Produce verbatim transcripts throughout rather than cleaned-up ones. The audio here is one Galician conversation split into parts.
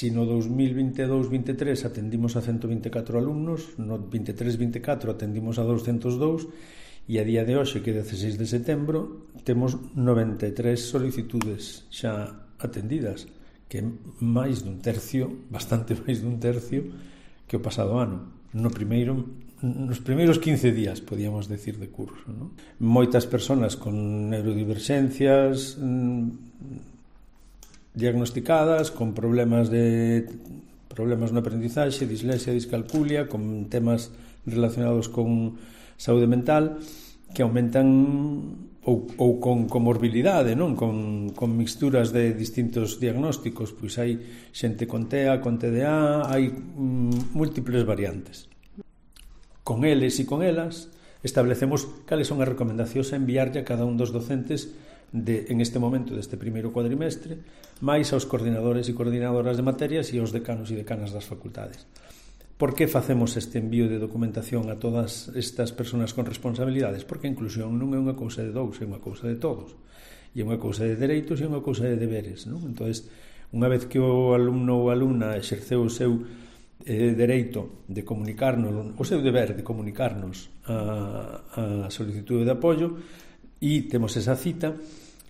si no dous mil vinte e dous vinte e tres atendimos a ciento vinte e catro alumnos, no vinte e tres vinte e catro atendimos a douscentos dous, e a día de hoxe, que é dezasseis de setembro, temos noventa e tres solicitudes xa atendidas, que é máis dun tercio, bastante máis dun tercio que o pasado ano. No primeiro, nos primeiros quince días, podíamos decir, de curso, non? Moitas persoas con neurodiverxencias mmm, diagnosticadas, con problemas de problemas no aprendizaxe, dislexia, discalculia, con temas relacionados con saúde mental, que aumentan ou, ou con comorbilidade, non? Con, con mixturas de distintos diagnósticos, pois hai xente con T E A, con T D A, hai mm, múltiples variantes. Con eles e con elas establecemos cales son as recomendacións a enviarlle a cada un dos docentes de, en este momento deste primeiro cuadrimestre, máis aos coordinadores e coordinadoras de materias e aos decanos e decanas das facultades. Por que facemos este envío de documentación a todas estas persoas con responsabilidades? Porque a inclusión non é unha cousa de dous, é unha cousa de todos. E é unha cousa de dereitos e é unha cousa de deberes, non? Entón, unha vez que o alumno ou alumna exerceu o seu eh, dereito de comunicarnos, o seu deber de comunicarnos a, a solicitude de apoio, e temos esa cita,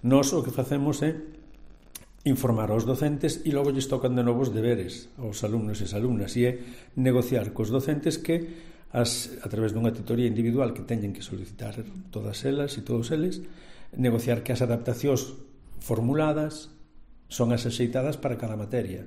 nós o que facemos é informar aos docentes e logo lles tocan de novos deberes aos alumnos e as alumnas, e é negociar cos docentes que as, a través dunha tutoría individual que teñen que solicitar todas elas e todos eles, negociar que as adaptacións formuladas son as axeitadas para cada materia.